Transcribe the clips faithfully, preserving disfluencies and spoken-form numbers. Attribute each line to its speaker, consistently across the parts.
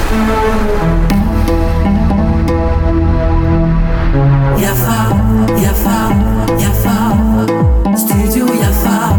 Speaker 1: Yafa, yafa, yafa, studio Yafa.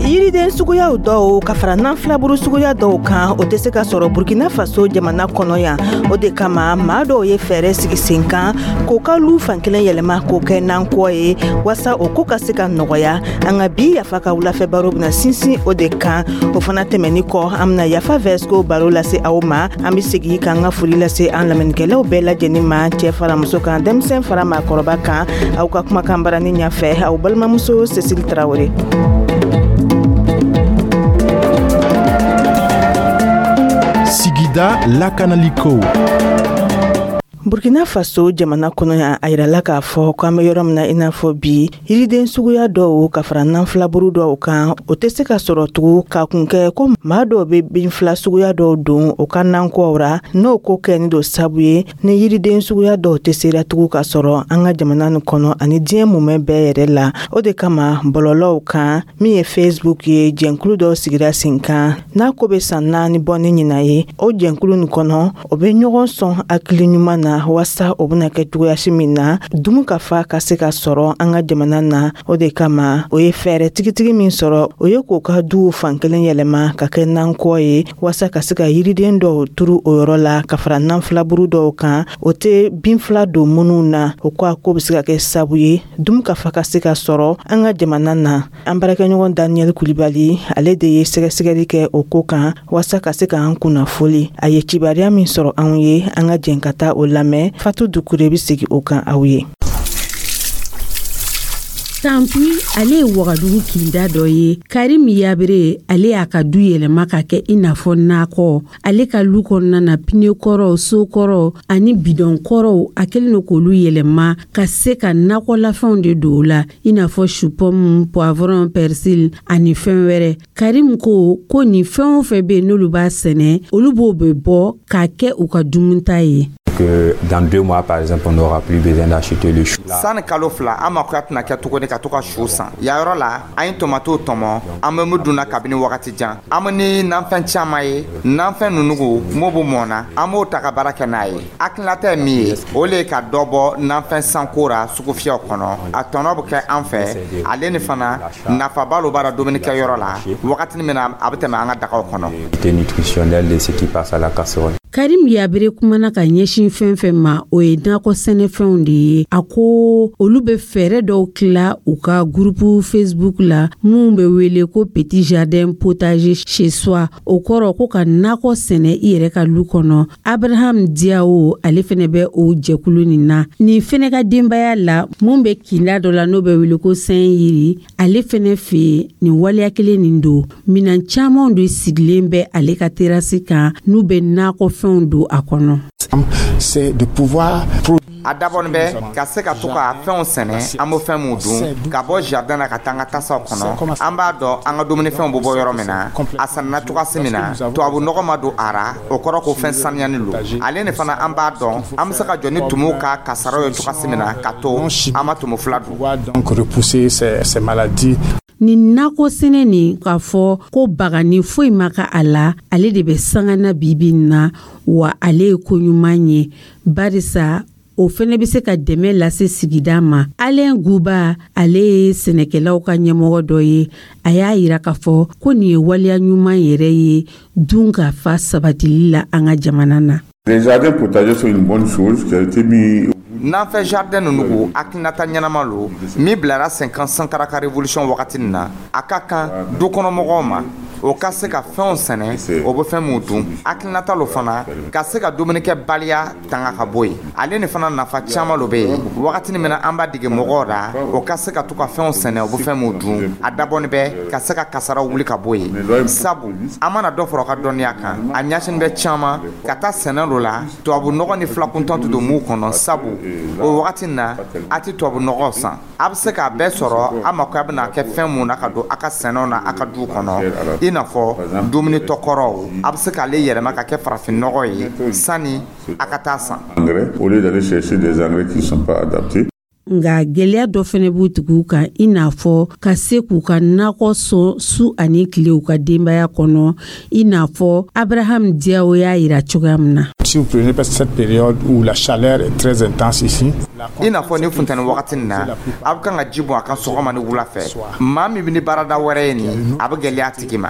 Speaker 2: Yiriden suguyaw dɔw ka fara nanfilaburu suguya dɔw kan, o tɛ se ka sɔrɔ Burkina Faso jamana kɔnɔ yan. O de kama, maa dɔw ye fɛɛrɛ sigi sen kan k'o ka lu fankelen yɛlɛma k'o kɛ nankɔ ye, waasa o ko ka se ka nɔgɔya. An ka bi Yafa ka wulafɛ baro bɛna sinsin o de kan. O fana tɛmɛni kɔ, an bɛna Yafa Vɛsiko baro lase aw ma. An bɛ segi k'an ka foli lase an lamɛnnikɛlaw bɛɛ lajɛlen ma, cɛ fara muso kan, denmisɛn fara maakɔrɔba kan. Aw ka kumakan barani ɲɛfɛ, aw balimamuso Cécile Tarawele.
Speaker 3: Sigida lakanaliko.
Speaker 2: Burkina Faso jamana kɔnɔ yan, a yirala k'a fɔ k'an bɛ yɔrɔ min na i n'a fɔ bi, yiriden suguya dɔw ka fara nanfilaburu dɔw kan, o tɛ se ka sɔrɔ tugun, k'a kun kɛ ko maa dɔw bɛ binfila suguya dɔw don o ka nankɔw ra. N'o ko kɛni don sabu ye ni yiriden suguya dɔw tɛ sera tugun ka sɔrɔ an ka jamana nin kɔnɔ ani diɲɛ mumɛ bɛɛ yɛrɛ la. O de kama, bɔlɔlɔw kan min ye Facebook ye, jɛnkulu dɔw sigira sen kan n'a ko bɛ san naani bɔ ni ɲinan ye. O jɛnkulu nin kɔnɔ, o bɛ ɲɔgɔn sɔn hakili ɲuman na waasa o bɛna kɛ cogoyasi min na dumu ka fa ka se ka sɔrɔ an ka jamana na. O de kama, o ye fɛɛrɛ tigitigi min sɔrɔ, o ye k'o ka duw fankelen yɛlɛma ka kɛ nankɔ ye, waasa ka se ka yiriden dɔw turu o yɔrɔ la ka fara nanfilaburu dɔw kan, o tɛ binfila don minnu na. O ko a ko bɛ se ka kɛ sabu ye dumu ka fa ka se ka sɔrɔ an ka jamana na. An baarakɛɲɔgɔn Daniyɛli Kulibali, ale de ye sɛgɛsɛgɛli kɛ o ko kan waasa ka se k'an kunnafoli. A ye kibaruya min sɔrɔ anw ye, an ka jɛn ka taa o lamɛn. Fatu Dukure bɛ segin o kan aw ye.
Speaker 4: Tanpui, ale ye Wagadugu kinda dɔ ye. Karim Yabere, ale y'a ka du yɛlɛma ka kɛ i n'a fɔ nakɔ. Ale ka lu kɔnɔna na, pneu kɔrɔw, so kɔrɔw ani bidɔn kɔrɔw, a kɛlen don k'olu yɛlɛma ka se ka nakɔlafɛnw de don o la, i n'a fɔ chou pomme, poivron, persil ani fɛn wɛrɛ. Karim ko ko nin fɛn o fɛn bɛ yen, n'olu b'a sɛnɛ, olu b'o bɛ bɔ k'a kɛ u ka dumunita ye.
Speaker 5: Que dans deux mois, par exemple, on n'aura plus besoin d'acheter le chou.
Speaker 6: Sani kalo fila, an makoya tɛna kɛ tuguni ka to ka su san. Yan yɔrɔ la, an ye tomatow tɔmɔ, an bɛ mun dunna kabini wagati jan. An bɛ ni nanfɛn caman ye, nanfɛn nunugu m'o bɛ mɔn na, an b'o ta ka baara kɛ n'a ye. Hakilinata ye min ye, o le ye ka dɔ bɔ nanfɛn sanko ra sugufiyɛw kɔnɔ. A tɔnɔ bɛ kɛ an fɛ, ale ni fana nafaba lo b'a la dumunikɛyɔrɔ la wagatini min na a bɛ tɛmɛ an ka dagaw kɔnɔ.
Speaker 5: Nutritionnel de ce qui passe à la casserole.
Speaker 4: Karim Yabere kumana ka ɲɛsin fɛn fɛn ma, o ye nakɔ sɛnɛfɛnw de ye. A ko olu bɛ fɛɛrɛ dɔw tila u ka groupe Facebook la mun bɛ wele ko Petit Jardin Potager chez soi, o kɔrɔ ko ka nakɔ sɛnɛ i yɛrɛ ka lu kɔnɔ. Abraham Diawo, ale fɛnɛ bɛ o jɛkulu nin na. Nin fɛnɛ ka denbaya la mun bɛ kinda dɔ la n'o bɛ wele ko Saint Yiri, ale fɛnɛ fɛ yen nin waleya kelen nin don. Minan camanw de sigilen bɛ ale ka terasi kan n'u bɛ nakɔ fɛnw don a kɔnɔ.
Speaker 7: C'est de pouvoir
Speaker 6: A dabɔnin bɛ ka se ka to ka fɛnw sɛnɛ, an bɛ fɛn mun dun, ka bɔ jardin na ka taa an ka tasaw kɔnɔ. An b'a dɔn an ka dumunifɛnw bɛ bɔ yɔrɔ min na, a sanna cogoyasi min na, tubabu nɔgɔ ma don a ra, o kɔrɔ ko fɛn sanuyani lo. Ale ni fana, an b'a dɔn an bɛ se ka jɔ ni tumuw ka kasaraw ye cogoyasi min na, ka to an ma tumu fila dun.
Speaker 7: Donc repousser ces, ces maladies.
Speaker 4: Nin nakɔ sɛnɛ nin, k'a fɔ ko bagani foyi ma ka a la, ale de bɛ sanga na bibi in na wa. Ale ye ko ɲuman ye, barisa o fɛnɛ bɛ se ka dɛmɛ lase sigida ma. Alain Guba, ale ye sɛnɛkɛlaw ka ɲɛmɔgɔ dɔ ye. A y'a yira k'a fɔ ko nin ye waleya ɲuman yɛrɛ ye dun ka fa sabatili la an ka jamana na.
Speaker 8: Les jardins potagers sont une bonne chose qui a été mis
Speaker 6: Nanfɛ jardin ninnu, hakilinata ɲɛnama lo min bilara sen kan Sankara ka révolution wagati nin na. A ka kan du kɔnɔmɔgɔw ma, o ka se ka fɛnw sɛnɛ, o bɛ fɛn mun dun. Hakilinata lo fana ka se ka dumunikɛbaliya tanga ka bɔ yen. Ale ni fana, nafa caman lo bɛ yen wagatini min na an b'a dege mɔgɔw la, o ka se ka to ka fɛnw sɛnɛ, o bɛ fɛn mun dun. A dabɔnin bɛ ka se ka kasaraw wuli ka bɔ yen, sabu an mana dɔ fara o ka dɔnniya kan, a ɲɛsini bɛ caman ka taa sɛnɛ lo la, tubabu nɔgɔ ni filakuntan tɛ don mun kɔnɔ, sabu o wagati na a tɛ tubabu nɔgɔ san, a bɛ se k'a bɛɛ sɔrɔ a mako bɛna kɛ fɛn mun na ka don a ka sɛnɛw na a ka du kɔnɔ, i n'a fɔ dumuni tɔ kɔrɔw, a bɛ se k'ale yɛlɛma ka kɛ farafin nɔgɔ ye sani a ka taa san.
Speaker 8: Engrais, au lieu d'aller chercher des engrais qui ne sont pas adaptés.
Speaker 4: Nka gwɛlɛya dɔ fɛnɛ b'u tigiw kan, i n'a fɔ ka se k'u ka nakɔ sɔn su ani tile u ka denbaya kɔnɔ, i n'a fɔ Abraham Diawo y'a yira cogoya min na.
Speaker 7: Si vous prenez cette période où la chaleur est très intense ici,
Speaker 6: I n'a fɔ ni funtɛni wagati nin na, a bɛ kan ka ji bɔn a kan sɔgɔma ni wula fɛ. Maa min bɛ ni baarada wɛrɛ ye nin, a bɛ gɛlɛya a tigi ma.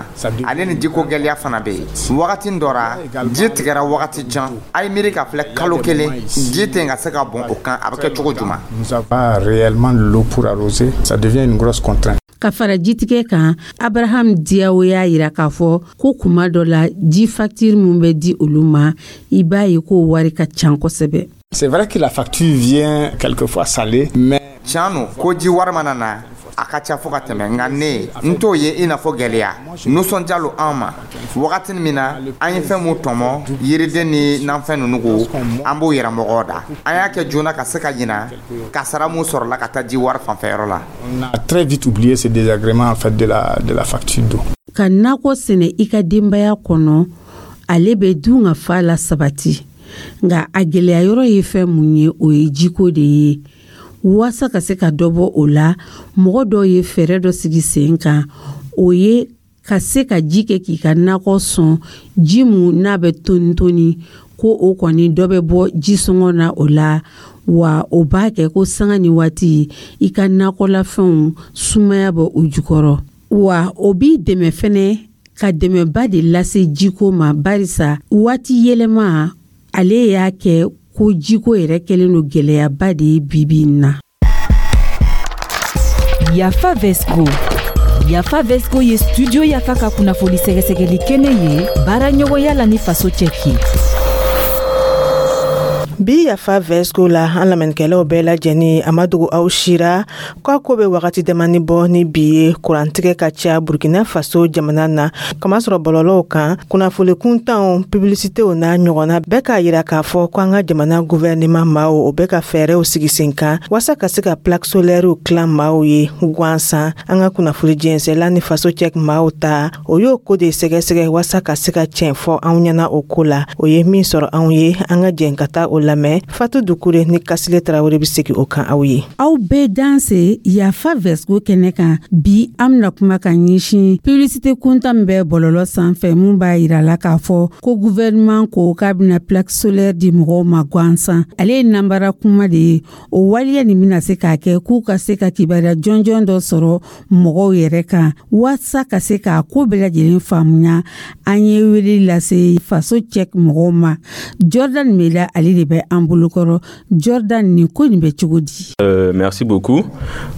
Speaker 6: Ale ni jiko gɛlɛya fana bɛ yen. Wagati dɔ ra, ji tigɛra wagati jan. A ye miiri ka filɛ, kalo kelen ji tɛ ka se ka bɔn o kan, a bɛ kɛ cogo jumɛn?
Speaker 7: Nous avons pas réellement l'eau pour arroser, ça devient une grosse contrainte.
Speaker 4: Ka fara jitigɛ kan, Abraham Diawo y'a yira k'a fɔ ko kuma dɔ la, ji facture min bɛ di olu ma, i b'a ye k'o wari ka ca kosɛbɛ.
Speaker 7: C'est vrai que la facture vient quelquefois salée, mais
Speaker 6: Tiɲɛ no ko ji wari mana na, a ka ca fo ka tɛmɛ, nka ne n t'o ye i n'a fɔ gwɛlɛya. Nisɔndiya lo an ma. Wagati min na an ye fɛn mun tɔmɔ, yiriden ni nanfɛn ninnu, ko an b'o yɛrɛ mɔgɔw da, an y'a kɛ joona ka se ka ɲina kasara mun sɔrɔla ka taa ji wari fanfɛyɔrɔ la.
Speaker 7: On a très vite oublié ce désagrément en fait de la, de la facture d'eau.
Speaker 4: Ka nakɔ sɛnɛ i ka denbaya kɔnɔ, ale bɛ dun ka fa la sabati. Nka a gwɛlɛya yɔrɔ ye fɛn mun ye? O ye jiko de ye. Waasa ka se ka dɔ bɔ o la, mɔgɔ dɔw ye fɛɛrɛ dɔ sigi sen kan, o ye ka se ka ji kɛ k'i ka nakɔ sɔn, ji mun n'a bɛ toni toni, ko o kɔni dɔ bɛ bɔ ji sɔngɔ na o la. Wa o b'a kɛ ko sanga ni waati i ka nakɔlafɛnw sumaya bɔ u jukɔrɔ. Wa o b'i dɛmɛ fɛnɛ ka dɛmɛba de lase jiko ma, barisa waati yɛlɛma ale y'a kɛ ko jiko yɛrɛ kɛlen don gwɛlɛyaba de ye bibi in na.
Speaker 3: Yafa Vesco. Yafa Vesco ye Studio Yafa ka kunnafoni sɛgɛsɛgɛli kɛnɛ ye, baara ɲɔgɔnya la ni Faso Cɛki.
Speaker 2: Bi Yafa Vesco la, an lamɛnnikɛlaw bɛɛ lajɛlen, a ma dogo aw sira k'a ko bɛ wagati damani bɔ ni bi ye, kurantigɛ ka ca Burkina Faso jamana na. Kamasɔrɔ bɔlɔlɔw kan, kunnafoni kuntanw, publicitéw n'a ɲɔgɔnna bɛɛ k'a yira k'a fɔ ko an ka jamana gouvernement maaw, o bɛ ka fɛɛrɛw sigi sen kan waasa ka se ka plaque solairew tilan maaw ye gansan. An ka kunnafoni jɛnsɛla ni Faso Cɛ maaw ta, o y'o ko de sɛgɛsɛgɛ waasa ka se ka tiɲɛ fɔ anw ɲɛna o ko la. O ye min sɔrɔ anw ye, an ka jɛn ka taa o lamɛn. Fatu Dukure ni Kasile Tarawele bɛ segin o kan aw ye.
Speaker 4: Aw bɛɛ danse Yafa Vesco kɛnɛ kan. Bi an bena kuma ka ɲɛsin publicité kuntan min bɛ bɔlɔlɔ sanfɛ, mun b'a yira la k'a fɔ ko gouvernement ko k'a bena plaque solaire di mɔgɔw ma gansan. Ale ye nanbara kuma de ye. O waleya nin bena se k'a kɛ k'u ka se ka kibaruya jɔnjɔn dɔ sɔrɔ mɔgɔw yɛrɛ kan. Waasa ka se k'a ko bɛɛ lajɛlen faamuya, an ye wele lase Faso Cɛk mɔgɔw ma. Jordan Mela, ale de bɛ an bolokɔrɔ. Jordan, nin ko nin bɛ cogo di?
Speaker 9: Euh, merci beaucoup.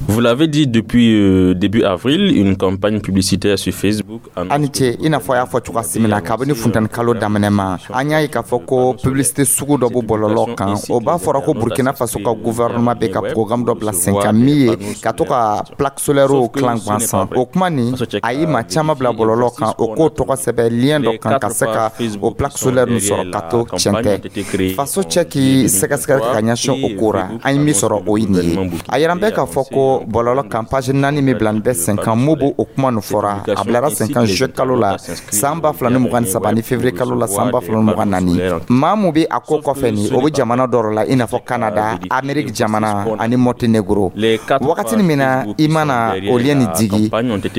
Speaker 9: Vous l'avez dit, depuis euh, début avril, une campagne publicitaire sur Facebook.
Speaker 6: A ni ce. I n'a fɔ a y'a fɔ cogoya min na, kabini funtɛni kalo daminɛ ma, an y'a ye k'a fɔ ko publicité sugu dɔ bɔ bɔlɔlɔ kan, o b'a fɔra ko Burkina Faso ka gouvernement bɛ ka programme dɔ bila sen kan min ye ka to ka plaque solaire tilan gansan. O kuma nin, a ye maa caman bila bɔlɔlɔ kan, o k'o tɔgɔ sɛbɛn lien dɔ kan ka se ka o plaque solaire nin sɔrɔ. Ka to tiɲɛ tɛ, Faso Cɛ k'i sɛgɛsɛgɛli kɛ ka ɲɛsin o ko ra, an ye min sɔrɔ, o ye nin ye. A yira bɛ k'a fɔ ko bɔlɔlɔ kan, page naani min bila nin bɛ sen kan, mun b'o o kuma nin fɔra, a bilara sen kan juillet kalo la san ba fila ni mugan ni saba ni février kalo la san ba fila ni mugan naani. Maa mun bɛ a ko kɔfɛ nin, o bɛ jamana dɔ la i n'a fɔ Canada, Amérique jamana ani Monténégro. Wagati min na i mana o lien nin digi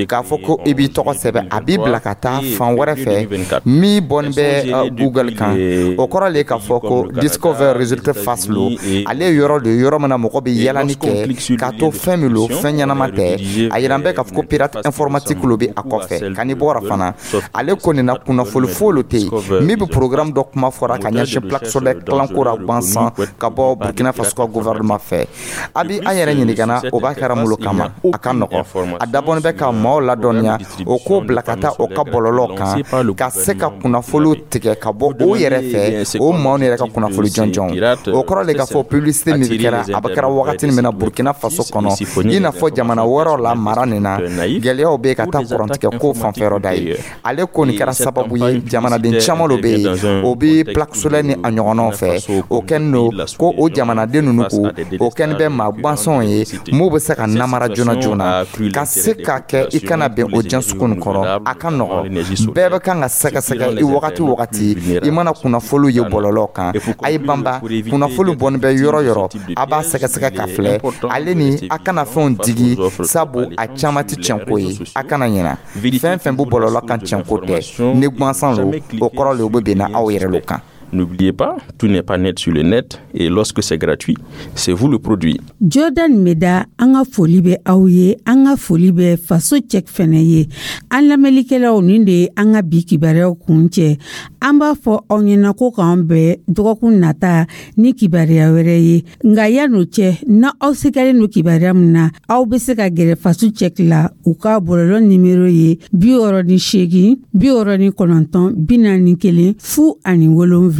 Speaker 6: k'a fɔ ko i b'i tɔgɔ sɛbɛn, a b'i bila ka taa fan wɛrɛ fɛ min bɔnin bɛ Google kan. O kɔrɔ le k'a fɔ ko Discover Result Fast lo. Ale ye yɔrɔ de ye, yɔrɔ min na mɔgɔ bɛ yalani kɛ k'a to fɛn min lo, fɛn ɲɛnama tɛ. A yira bɛ k'a fɔ ko pirate informatique lo bɛ a kɔfɛ. Ka n'i bɔra fana, ale ko nin na, kunnafoni foyi lo tɛ yen min bɛ programme dɔ kuma fɔra ka ɲɛsin plaque solaire tilanko ra gansan ka bɔ Burkina Faso ka gouvernement fɛ. A bi an yɛrɛ ɲininka, o b'a kɛra mun kama? A ka nɔgɔ, a dabɔnin bɛ ka maaw ladɔnniya, o k'o bila ka taa o ka bɔlɔlɔ kan ka se ka kunnafoniw tigɛ ka bɔ o yɛrɛ fɛ, o maaw yɛrɛ ka kunnafoni jɔnjɔn. O kɔrɔ le k'a fɔ publicité min kɛra, a bɛ kɛra wagati min na Burkina Faso kɔnɔ, i n'a fɔ jamana wɛrɛw la, mara nin na, gɛlɛyaw bɛ ka taa kurantigɛ ko fanfɛyɔrɔ da ye. Ale ko nin kɛra sababu ye, jamanaden caman dɔ bɛ yen, o bɛ plaque solaire ni a ɲɔgɔnnaw fɛ. O kɛlen don ko o jamanaden ninnu ko o kɛlen bɛ maa gansanw ye mun bɛ se ka namara joona joona ka se ka kɛ i kana bɛn o diɲɛ sugu nin kɔrɔ. A ka nɔgɔ, bɛɛ bɛ kan ka sɛgɛsɛgɛ i wagati wagati i mana kunnafoniw ye bɔlɔlɔ kan, a ye ban. Banba kunnafoni bɔnni bɛ yɔrɔ yɔrɔ, a b'a sɛgɛsɛgɛ ka filɛ. Ale ni a kana fɛnw digi, sabu a caman tɛ tiɲɛko ye. A kana ɲina, fɛn fɛn bɛ bɔlɔlɔ kan, tiɲɛko tɛ. Ni gansan lo, o kɔrɔ le o bɛ bɛnna aw yɛrɛ lo kan.
Speaker 9: N'oubliez pas, tout n'est pas net sur le net et lorsque c'est gratuit, c'est vous le produit.
Speaker 4: Jordan Meda, an ka foli bɛ aw ye, an ka foli bɛ Faso Cɛk fɛnɛ ye. An lamɛnlikɛlaw, nin de ye an ka bi kibaruyaw kun cɛ. An b'a fɔ aw ɲɛna ko k'an bɛn dɔgɔkun nata ni kibaruya wɛrɛ ye. Nka yan'o cɛ, na aw sigalen don kibaruya min na, aw bɛ se ka gɛrɛ Faso Cɛk la. U ka bɔlɔlɔ nimero ye bi wɔɔrɔ ni seegin, bi wɔɔrɔ ni kɔnɔntɔn, bi naani kelen fu ani wolonfila.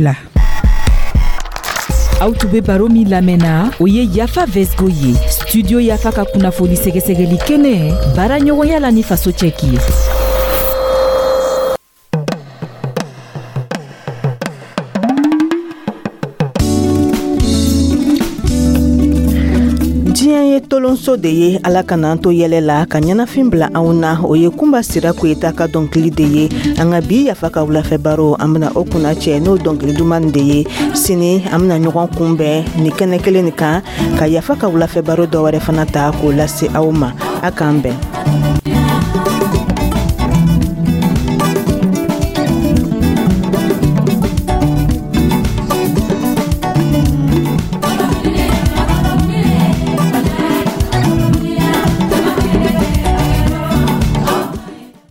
Speaker 3: Aw tun be baro min lamɛnna, o ye Yafa Vesgo ye, Studio Yafa ka kunnafoni sɛgɛsɛgɛli kɛnɛ, baara ɲɔgɔnya la ni Faso Cɛki ye.
Speaker 2: Diɲɛ ye tolonso de ye, Ala ka n'an to yɛlɛ la ka ɲɛnafin bila anw na. O ye Kunba Sira Koyita ka dɔnkili de ye. An ka bi Yafa ka wulafɛ baro, an bena o kunna cɛ n'o dɔnkili duman de ye. Sini an bena ɲɔgɔn kunbɛn ni kɛnɛ kelen nin kan ka Yafa ka wulafɛ baro dɔ wɛrɛ fana ta k'o lase aw ma. A k'an bɛn.